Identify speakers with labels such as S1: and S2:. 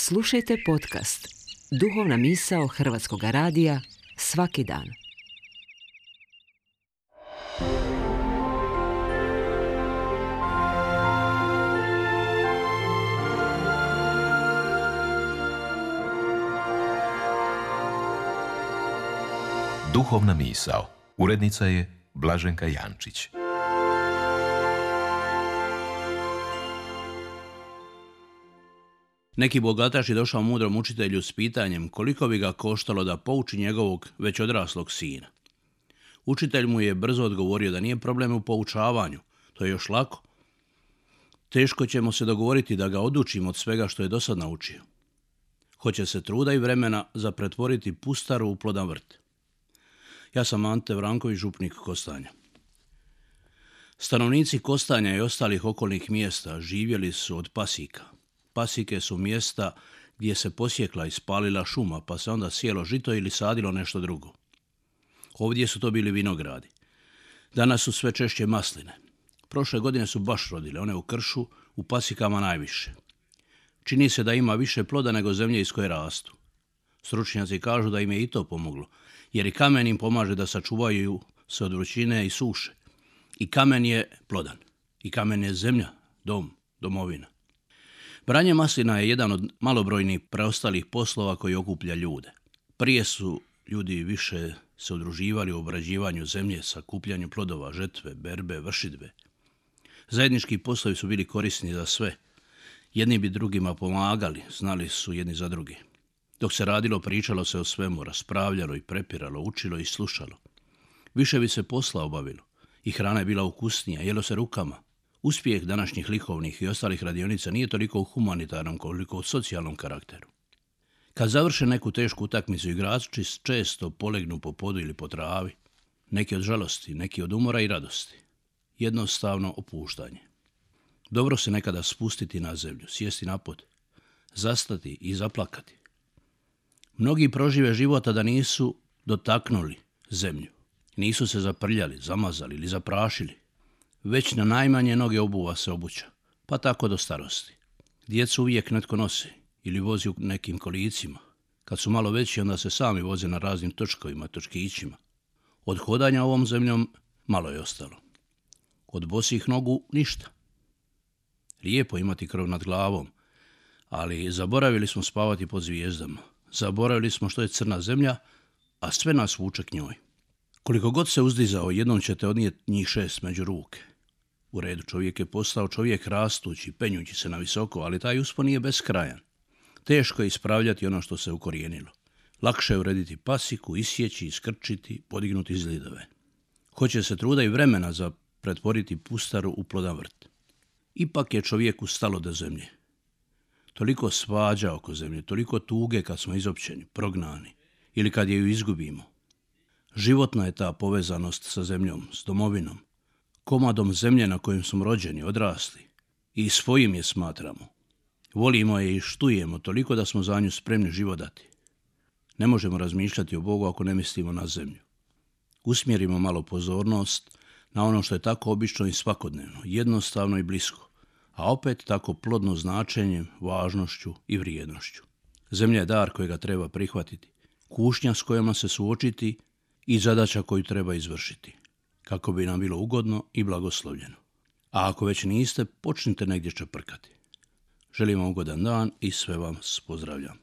S1: Slušajte podcast Duhovna misao Hrvatskog radija svaki dan.
S2: Duhovna misao. Urednica je Blaženka Jančić.
S3: Neki bogataš je došao mudrom učitelju s pitanjem koliko bi ga koštalo da pouči njegovog već odraslog sina. Učitelj mu je brzo odgovorio da nije problem u poučavanju, to je još lako. Teško ćemo se dogovoriti da ga odučimo od svega što je dosad naučio. Hoće se truda i vremena za pretvoriti pustaru u plodan vrt. Ja sam Ante Vranković, župnik Kostanja. Stanovnici Kostanja i ostalih okolnih mjesta živjeli su od pasika. Pasike su mjesta gdje se posjekla i spalila šuma, pa se onda sjelo žito ili sadilo nešto drugo. Ovdje su to bili vinogradi. Danas su sve češće masline. Prošle godine su baš rodile, one u kršu, u pasikama najviše. Čini se da ima više ploda nego zemlje iz koje rastu. Stručnjaci kažu da im je i to pomoglo, jer i kamen im pomaže da sačuvaju se od vrućine i suše. I kamen je plodan. I kamen je zemlja, dom, domovina. Branje maslina je jedan od malobrojnih preostalih poslova koji okuplja ljude. Prije su ljudi više se udruživali u obrađivanju zemlje, sakupljanju plodova, žetve, berbe, vršidbe. Zajednički poslovi su bili korisni za sve. Jedni bi drugima pomagali, znali su jedni za druge. Dok se radilo, pričalo se o svemu, raspravljalo i prepiralo, učilo i slušalo. Više bi se posla obavilo i hrana je bila ukusnija, jelo se rukama. Uspjeh današnjih likovnih i ostalih radionica nije toliko u humanitarnom koliko u socijalnom karakteru. Kad završe neku tešku utakmicu, igrači često polegnu po podu ili po travi. Neki od žalosti, neki od umora i radosti. Jednostavno opuštanje. Dobro se nekada spustiti na zemlju, sjesti na pod, zastati i zaplakati. Mnogi prožive života da nisu dotaknuli zemlju. Nisu se zaprljali, zamazali ili zaprašili. Već na najmanje noge obuva se obuća, pa tako do starosti. Djecu uvijek netko nosi ili vozi u nekim kolicima. Kad su malo veći, onda se sami voze na raznim točkovima, točkićima. Od hodanja ovom zemljom malo je ostalo. Od bosih nogu ništa. Lijepo imati krov nad glavom, ali zaboravili smo spavati pod zvijezdama. Zaboravili smo što je crna zemlja, a sve nas vuče k njoj. Koliko god se uzdizao, jednom ćete odnijeti njih 6 među ruke. U redu, čovjek je postao čovjek rastući, penjući se na visoko, ali taj uspon nije beskrajan. Teško je ispravljati ono što se ukorijenilo. Lakše je urediti pasiku, isjeći, iskrčiti, podignuti zidove. Hoće se truda i vremena za pretvoriti pustaru u plodan vrt. Ipak je čovjeku stalo do zemlje. Toliko svađa oko zemlje, toliko tuge kad smo izopćeni, prognani ili kad je ju izgubimo. Životna je ta povezanost sa zemljom, s domovinom, komadom zemlje na kojem smo rođeni, odrasli i svojim je smatramo. Volimo je i štujemo toliko da smo za nju spremni život dati. Ne možemo razmišljati o Bogu ako ne mislimo na zemlju. Usmjerimo malo pozornost na ono što je tako obično i svakodnevno, jednostavno i blisko, a opet tako plodno značenjem, važnošću i vrijednošću. Zemlja je dar kojega treba prihvatiti, kušnja s kojima se suočiti i zadaća koju treba izvršiti, kako bi nam bilo ugodno i blagoslovljeno. A ako već niste, počnite negdje čeprkati. Želim vam ugodan dan i sve vam pozdravljam.